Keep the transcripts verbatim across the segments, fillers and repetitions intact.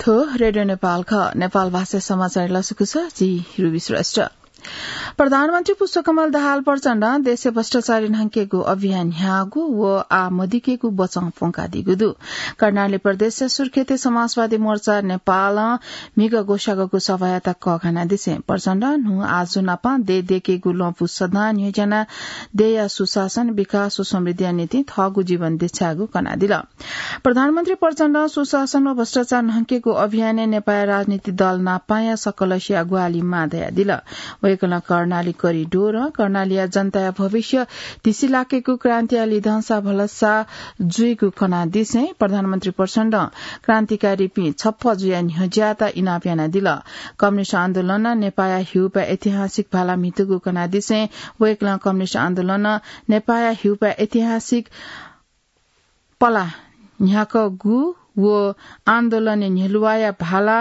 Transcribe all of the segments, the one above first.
रेडियो नेपाल ख, नेपाल भाषा समाचार लसकुस, जि रुबी श्रेष्ठ। प्रधानमन्त्री पुष्पकमल दाहाल प्रचण्डं देशय् भ्रष्टाचारी न्हंकेगु अभियान न्ह्याःगु व आः मदिकेगु बचं प्वंकादीगु दु। कर्णाली प्रदेशया सुर्खेतय् समाजवादी मोर्चा नेपालं म्हिगः ग्वसाःगु सभायात कःघानादिसें प्रचण्डं न्हू आजु नापं देय् दयेकेगु लँपु सदां न्ह्यज्यानाः देय्‌या सुशासन, विकास व समृद्धिया निंतिं थःगु जीवन देछायेगु कनादिल। प्रधानमन्त्री प्रचण्डं सुशासन व भ्रष्टाचार न्हंकेगु अभियानय् नेपाःया राजनीतिक दल नापांया सकलसिया ग्वाहालि माः धयादिल। वय्‌कलं कर्णाली करिडोरं कर्णालीया जनताया भविष्य धिसिलाकेगु क्रान्तिया लिधंसा भलसा जुइगु कनादिसें प्रधानमन्त्री प्रचण्डं क्रान्तिकारीपिं छप्पँ जुयाः न्ह्यज्याःत इनाप यानादिल। कम्युनिस्ट आन्दोलनं नेपाःया हिउपाः ऐतिहासिक भाला म्हितूगु कनादिसें वय्‌कलं कम्युनिस्ट आन्दोलनं नेपाःया हिउपाः ऐतिहासिक पला न्ह्याकूगु व आन्दोलनय् न्ह्यलुवाया भाला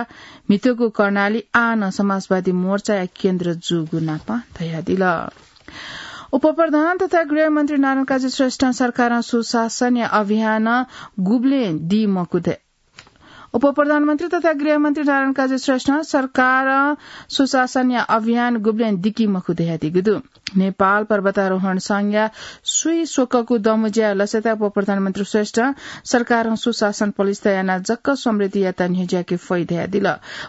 म्हितूगु कर्णाली आः नं समाजवादी मोर्चाया केन्द्र जूगु नापं धयादिल। उपप्रधान तथा गृहमन्त्री नारायणकाजी श्रेष्ठं सरकारं सुशासनया अभियान गुबलें दी मखु ध-, उपप्रधानमन्त्री तथा गृहमन्त्री नारायणकाजी श्रेष्ठं सरकारं सुशासनया अभियान गुबलें दिकी मखु धयादीगु दु। नेपाल पर्वतारोहण संघया स्वीस्वकःगु दँबज्याःया लसताय् उपप्रधानमन्त्री श्रेष्ठं सरकारं सुशासन पलिस्था यानाः जक समृद्धियात न्ह्यज्याके फइ धयादिल।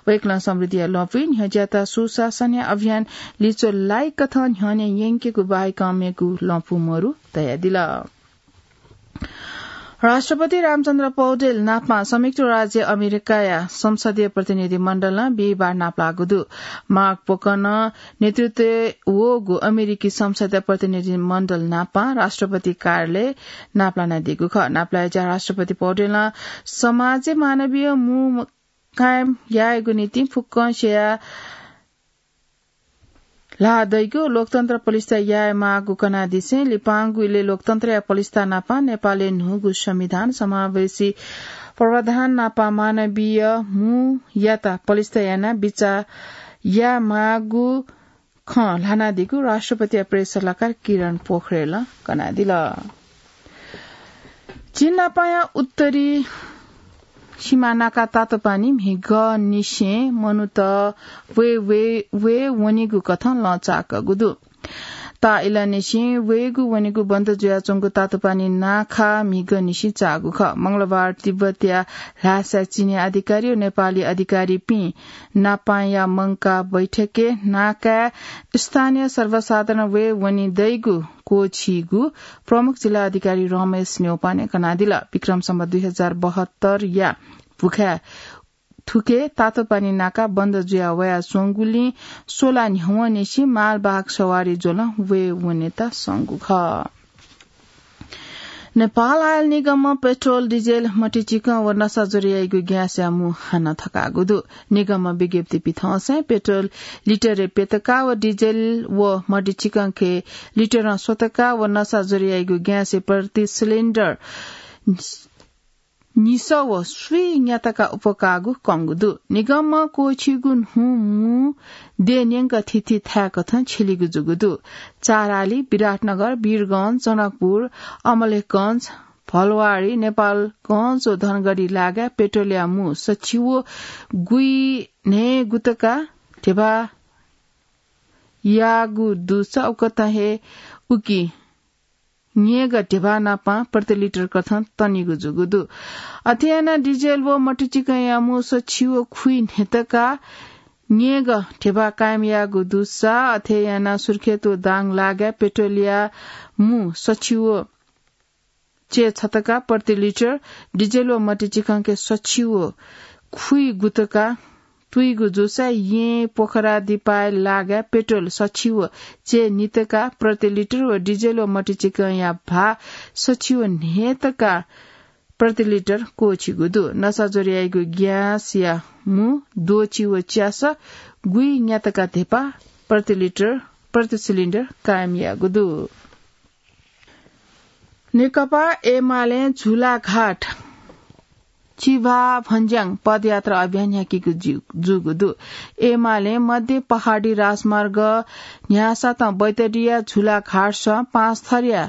वय्‌कलं समृद्धिया लँपुइ न्ह्यज्याःत सुशासनया अभियान लिच्वः लाइकथं न्ह्यःने यंकेगु बाहेकं मेगु लँपु मरु धयादिल। राष्ट्रपति रामचन्द्र पौडेल नापं संयुक्त राज्य अमेरिकाया संसदीय प्रतिनिधि मण्डलं बिहिबार नापलाःगु दु। मार्क पोकनं नेतृत्व वःगु अमेरिकी संसदीय प्रतिनिधि मण्डल नापं राष्ट्रपति कार्यालय नापलानादीगु खः। नापलाःया ज्या राष्ट्रपति पौडेलं समाजय् मानवीय मू कायम यायेगु निंतिं फुक्कं स्यया ल्हाः दइगु लोकतन्त्र पलिस्था याये माःगु कनादिसें लिपांगु इलय् लोकतन्त्रया पलिस्था नापं नेपालय् न्हूगु संविधान, समावेशी प्रावधान नापं मानवीय मूयात पलिस्था यानाः बिचाः याये माःगु खँ ल्हानादीगु राष्ट्रपतिया प्रेस सल्लाहकार किरण पोखरेलं कनादिल। चीन नापांया उत्तरी सीमा नाका तातोपानी म्हिगःनिसें मनूत वये, वये, वये वनीगु कथं लँ चाःकागु दु। ताःइलंनिसें वयेगु वनेगु बन्द जुयाच्वंगु तातोपानी नाखा म्हिगःनिसें चाःगु खः। मंगलबार तिब्बतया ल्हासाय् चीनी अधिकारी व नेपाली अधिकारीपिं नापांया मंकाः बैठकय् नाकाय् स्थानीय सर्वसाधारण वये वने दइगु क्वःछीगु प्रमुख जिल्ला अधिकारी रमेश न्यौपाने कनादिल। विक्रम सम्वत दुई हजार बहत्तरया भुखाय् थुखे तातोपानी नाका बन्द जुया वयाच्वंगुलिं स्वला न्ह्यवंनिसें मालवाहक सवारी ज्वलं वये वनेत संगु खः। नेपाल आयल निगमं पेट्रोल, डिजेल, मतिचिकं व नसाज्वर याइगु ग्यासया मू हानं थकाःगु दु। निगमं विज्ञप्ति पिथंसें पेट्रोल लिटरय् प्यतका व डिजेल व मतिचिकंके लिटरं स्वतका व नसाज्वर याइगु ग्यासय् प्रति सिलिन्डर निसः व स्वीन्यातका उपकाःगु कंगु दु। निगमं क्वःछीगु न्हू मू देय् न्यंक थीथी थाय्‌कथं छ्यलीगु जूगु दु। चाराली, विराटनगर, वीरगंज, जनकपुर, अमलेखगंज, भलवाडी, नेपालगंज व धनगढी लागाय् पेट्रोलया मू सछि व गुइन्हय् गुतका ध्यबा याःगु दुसा उकथं हे उकी न्येगः ध्यबा नापं प्रति लिटर कथं तनीगु जूगु दु। अथे यानाः डिजेल व मतिचिकंया मू सछि व खुइन्हय्‌तका न्येगः ध्यबा कायम याःगु दुसा अथे यानाः सुर्खेत व दाङ लागाय् पेट्रोलया मू सछि व च्यय् छतका प्रति लिटर, डिजेल व मतिचिकंके सछि व खुइ गुतका तुइगु जूसा येँ पोखरा दिपाय् लागाय् पेट्रोल सछि व च्यय् नितका प्रति लिटर व डिजेल व मतिचिकंया भाः सछि व न्हय्‌तका प्रति लिटर क्वःछीगु दु। नसाज्वर याइगु ग्यासया मू द्वःछि व च्यासः गुइन्यातका ध्यबा प्रति लिटर, प्रति सिलिन्डर कायम याःगु दु। नेकपा एमालें झुलाघाट चिभाभञ्ज्याङ पदयात्रा अभियान न्ह्याकीगु जु-, जूगु दु। एमालें मध्य पहाडी राजमार्ग न्ह्यासातं बैतडीया झुलाघाटसं पाँचथरया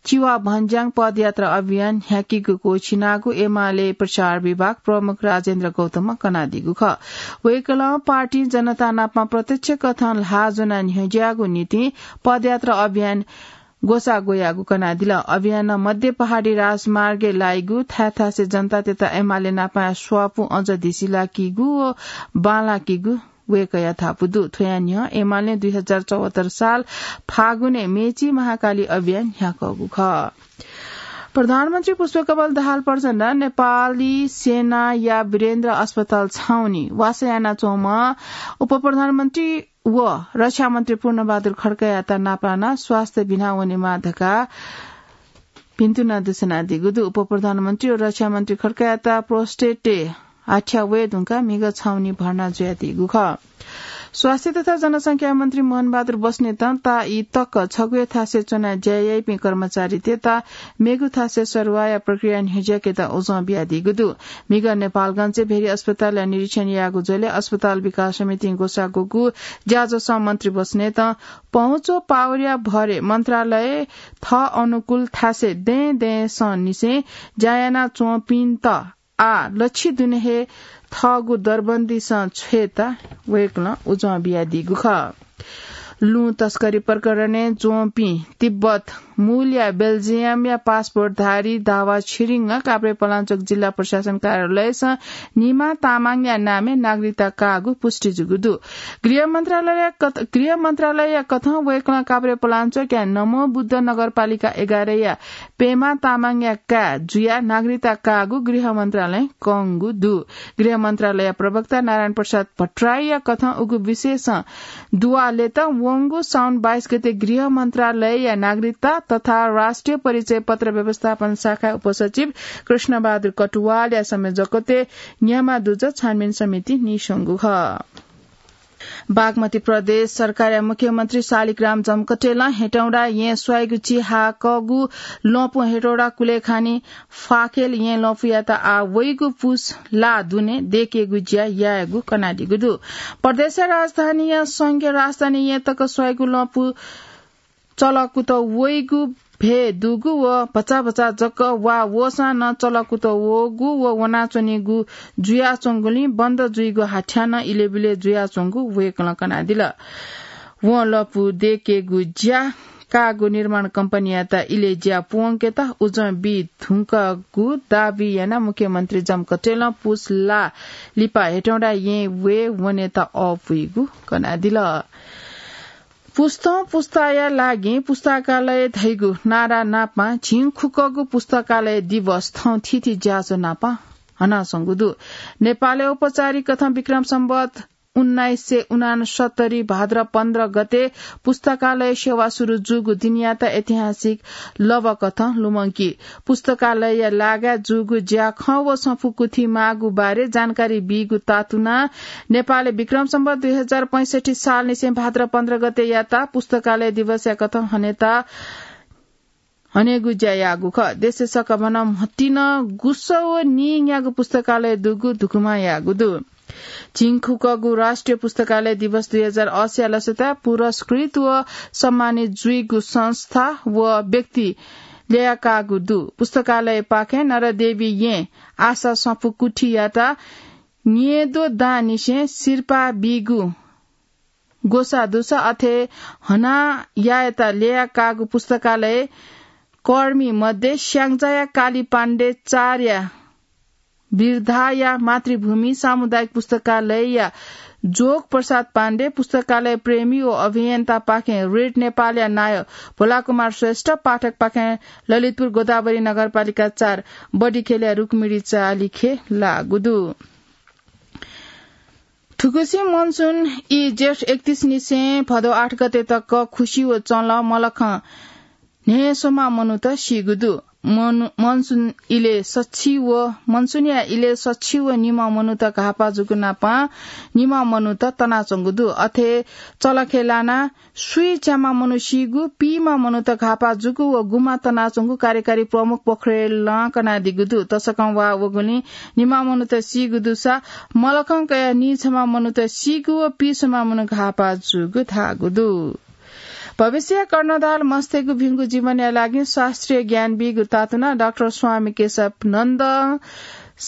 चिवा भन्ज्याङ पदयात्रा अभियान न्ह्याकीगु क्वःछिनागु एमाले प्रचार विभाग प्रमुख राजेन्द्र गौतमं कनादीगु खः। वय्कलं पार्टी जनता नाप प्रत्यक्ष कथं ल्हाः ज्वनाः न्ह्यज्याःगु निंतिं पदयात्रा अभियान ग्वसाः ग्वयागु कनादिल। अभियानं मध्य पहाडी राजमार्गय् लाइगु थाय् थासय् जनतातय्त एमाले नाप स्वापू अझ धिसिलाकीगु व बांलाकीगु वय्कःया धापू दु। थ्वया न्ह्यः एमालें दुई हजार चौहत्तर साल फागुनय् मेची महाकाली अभियान न्ह्याकूगु खः। प्रधानमन्त्री पुष्पकमल दाहाल प्रचण्ड नेपाली सेनाया वीरेन्द्र अस्पताल छाउनी वासः यानाच्वंम्ह उपप्रधानमन्त्री व रक्षामन्त्री पूर्णबहादुर खड्कायात नापलानाः स्वास्थ्य बिना वनेमा धकाः भिन्तुना दुस्यनादीगु दु। उपप्रधानमन्त्री व रक्षामन्त्री खड्कायात प्रोस्टेटय् हाथ्या वये धुंकाः म्हिगः छाउनी भर्ना जुयादीगु खः। स्वास्थ्य तथा जनसंख्या मन्त्री मोहनबहादुर बस्नेतं ताःई तक छगू हे थासय् च्वनाः ज्या याइपिं कर्मचारीतय्त मेगु थासय् सरुवाःया प्रक्रिया न्ह्यज्याकेत उजं बियादीगु दु। म्हिगः नेपालगंजय् भेरी अस्पतालया निरीक्षण याःगु झ्वलय् अस्पताल विकास समितिं ग्वसाः ग्वःगु ज्याझ्वलय् मन्त्री बस्नेतं पहुँच व पावरया भरय् मन्त्रालय थः अनुकूल थासय् दँय् दँय्‌संनिसें ज्या यानाच्वंपिन्त आः लच्छि दुने हे थःगु दरबन्दीसं छ्वयेत वय्कलं उजं बियादीगु खः। लुँ तस्करी प्रकरणय् ज्वंपिं तिब्बत मूलया बेल्जियमया पासपोर्टधारी दावा छिरिङ काभ्रेपलाञ्चोक जिल्ला प्रशासन कार्यालयसं निमा तामाङया नामय् नागरिकता काःगु पुष्टि जूगु दु। गृह मन्त्रालय कथ-, गृह मन्त्रालयया कथं वय्कलं काभ्रेपलाञ्चोकया नमो बुद्ध नगरपालिका एघारया पेमा तामाङया काय् जुयाः नागरिकता काःगु गृह मन्त्रालयं कंगु दु। गृह मन्त्रालय प्रवक्ता नारायण प्रसाद भट्टराईया कथं उगु विषयसं दुवालेत वंगु साउन बाइस गते गृह मन्त्रालयया नागरिकता तथा राष्ट्रिय परिचय पत्र व्यवस्थापन शाखा उपसचिव कृष्णबहादुर कटुवालया संयोजकत्वय् न्ह्यामा दुजः छानबिन समिति नीस्वंगु खः। बागमती प्रदेश सरकारया मुख्यमन्त्री शालिग्राम जमकटेलं हेटौडा येँ स्वाइगु चिहाकःगु लँपु हेटौडा कुलेखानी फाकेल येँ लँपुयात आः वइगु पुस ला दुने देकेगु ज्या यायेगु कनादीगु दु। प्रदेशया राजधानीया संघीय राजधानी येँ तक स्वाइगु लँपु चलकुत वइगु भ्वय् दुगु व भचा भचा जक वा वःसां नं चलकुत वःगु व वनाच्वनीगु जुयाच्वंगुलिं बन्द जुइगु हाथ्याः नं इलेबिले जुयाच्वंगु वय्कलं कनादिल। वं लँपु देकेगु ज्या काःगु निर्माण कम्पनीयात इलय् ज्या पूवंकेत उजं बी धुंकूगु दाबी यानाः मुख्यमन्त्री जमकटेलं पुस ला लिपा हेटौडा येँ वये वनेत अःपुइगु कनादिल। पुस्तं पुस्ताया लागि पुस्तकालय धइगु नारा नापं झिंखुक्कगु पुस्तकालय दिवस थौं थीथी ज्याझ्वः नापं हनाच्वंगु दु। नेपालय् औपचारिक कथं विक्रम सम्वत उन्नाइस सय उनासत्तरी भाद्र पन्ध्र गते पुस्तकालय सेवा सुरु जूगु दिनयात ऐतिहासिक लबकथं लुमंकी। पुस्तकालयया लागाय् जूगु ज्याखँ व सफू कुथि माःगु बारे जानकारी बीगु तातुनाः नेपालय् विक्रम सम्वत दुई हजार पैंसठ्ठी सालनिसें भाद्र पन्ध्र गते यात पुस्तकालय दिवसया कथं हनेत हनेगु ज्या याःगु खः। देशय् सकभनं म्हतिनं गुसः व नीन्यागू पुस्तकालय दुगु धुकुमा याःगु दु। झिंखुक्कगु राष्ट्रिय पुस्तकालय दिवस दुई हजार असी या लसताय् पुरस्कृत व सम्मानित जुइगु संस्था व व्यक्ति ल्ययाकाःगु दु। पुस्तकालयपाखें नरदेवी येँ आशा सफू कुथियात न्येद्वः दांनिसें सिरपाः बीगु ग्वसाः दुसा अथे हनाः यायेत ल्ययाकाःगु पुस्तकालय कर्मी मध्ये स्याङ्जाया काली पाण्डे चारया बिर्धाया मातृभूमि सामुदायिक पुस्तकालयया जोग प्रसाद पाण्डे, पुस्तकालय प्रेमी व अभियन्तापाखें रेड नेपालया नायः भोलाकुमार श्रेष्ठ, पाठकपाखें ललितपुर गोदावरी नगरपालिका चार बडिखेलया रुक्मिणी चालिखे लाःगु दु। थुगुसी मनसुन ई जेठ एकतीस निसें भदौ आठ गते तक खुसी व चंलं मलखं न्हय्‌सोमा मनूत सीगु दु। मनु-, मनसुन इले सछि व, मनसुनया इले सछि व निम्ह मनूत घाःपाः जूगु नापं निम्ह मनूत तनाच्वंगु दु। अथे चलखे लानाः स्वीच्याम्ह मनू सीगु, पीम्ह मनूत घाःपाः जूगु व गुम्ह तनाच्वंगु कार्यकारी प्रमुख पोखरेलं कनादीगु दु। तसकं वाः वःगुलिं निम्ह मनूत सीगु दुसा मलखं कयाः नीछम्ह मनूत सीगु व पीछम्ह मनू घाःपाः जूगु धाःगु दु। भविष्य कर्णधार मस्तय्‌गु भिंगु जीवनया लागि शास्त्रीय ज्ञान बीगु तातुना डाक्टर स्वामी केशव नन्द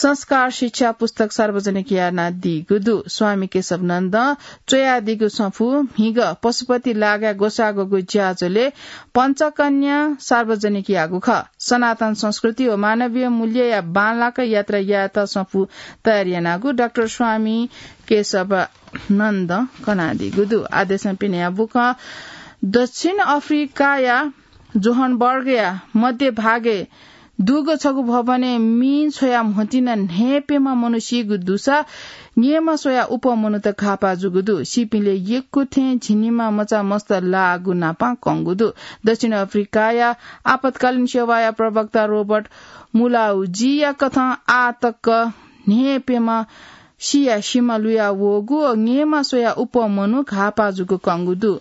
संस्कार शिक्षा पुस्तक सार्वजनिक यानादीगु दु। स्वामी केशव नन्द च्वयादीगु सफू म्हिगः पशुपति लागाय् ग्वसाःगु ज्याझ्वलय् पञ्चकन्या सार्वजनिक याःगु खः। सनातन संस्कृति व मानवीय मूल्यया बांलाक यात्रा यायेत सफू तयार यानागु डाक्टर स्वामी केशव नन्द कनादीगु दु। आदेशं पिनेया बुकं दक्षिण अफ्रिकाया जोहनबर्गया मध्य भागय् दुगु छगू भवनय् मि छ्वया म्होतिन न्हय्‌प्यम्ह मनू सीगु दुसा न्येमा स्वया उप मनूत घाःपाः जूगु दु। सीपिंलय् यक्व थें झिंनिमा मचा मस्त लाःगु नापां कंगु दु। दक्षिण अफ्रिकाया आपतकालीन सेवाया प्रवक्ता रोबर्ट मुलाउजीया कथं आः तक न्हय्‌प्यम्ह सिया सिमा लुया वःगु व न्येमा स्वया उप मनू घाःपाः जूगु कंगु दु।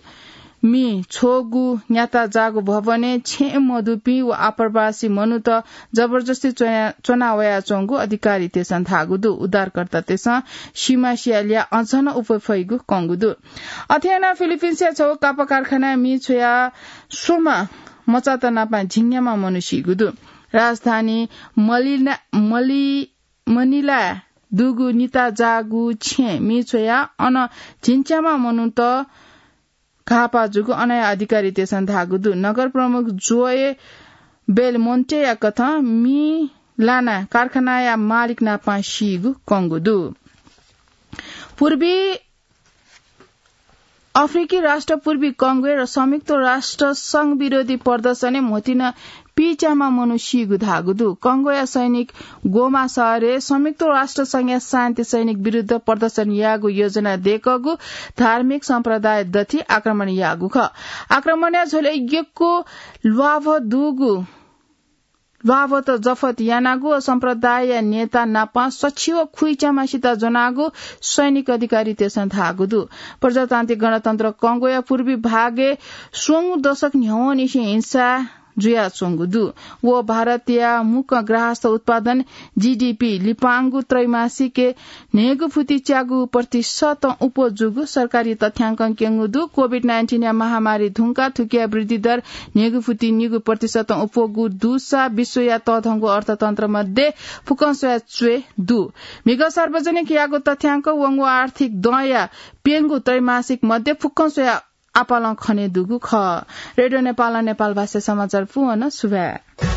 मि छ्वःगु न्याता जाःगु भवनय् छेँ मदुपिं व आप्रवासी मनूत जबरजस्ती च्वना-, च्वना वयाच्वंगु अधिकारीतय्‌सं धाःगु दु। उद्धारकर्तातय्‌सं सिमा सिया ल्याः अझ नं उप फइगु कंगु दु। अथे यानाः फिलिपिन्सया छगू कापा कारखानाय् मि छ्वया स्वम्ह मचात नापां झिंन्याम्ह मनू सीगु दु। राजधानी मलिना-, मलि-, मनिलाय् दुगु निता जाःगु छेँ मि छ्वया अन झिंच्याम्ह मनूत घाःपाः जूगु अनया अधिकारीतय्‌सं धाःगु दु। नगर प्रमुख जोए बेलमोन्टेया कथं मि लाना कारखानाया मालिक नापां सीगु कंगु दु। पूर्वी अफ्रिकी राष्ट्र पूर्वी कंगोय् र संयुक्त राष्ट्र संघ विरोधी प्रदर्शनय् म्होतिन पीच्याम्ह मनू सीगु धाःगु दु। कंगोया सैनिक गोमा शहरय् संयुक्त राष्ट्र संघया शान्ति सैनिक विरुद्ध प्रदर्शन यायेगु योजना दय्‌कःगु धार्मिक सम्प्रदाय दथि आक्रमण याःगु खः। आक्रमणया झ्वलय् यक्व ल्वाभ दुगु ल्वाभत जफत यानागु व सम्प्रदायया नेता नाप सछि व खुइच्याम्हसित ज्वनागु सैनिक अधिकारीतय्‌सं धाःगु दु। प्रजातान्त्रिक गणतन्त्र कंगोया पूर्वी भागय् स्वंगू दशक न्ह्यवंनिसें हिंसा जुयाच्वंगु दु। व भारतया मुक्क ग्राहस्थ उत्पादन, जीडीपी, लिपांगु त्रैमासिकय् न्हय्‌गू फुति च्यागू प्रतिशतं उप्वः जूगु सरकारी तथ्याङ्कं क्यंगु दु। कोभिड नाइन्टिनया महामारी धुंकाः थुकिया वृद्धि दर न्हय्‌गू फुति निगू प्रतिशतं उप्वःगु दुसा विश्वया तःधंगु अर्थतन्त्र मध्ये फुक्कं स्वया च्वय् दु। म्हिगः सार्वजनिक याःगु तथ्याङ्क वंगु आर्थिक दँया प्यंगू त्रैमासिक मध्ये फुक्कं स्वया आपालं खने दुगु खः। रेडियो नेपालं नेपाल भाषा समाचार पूवन सुभाय्।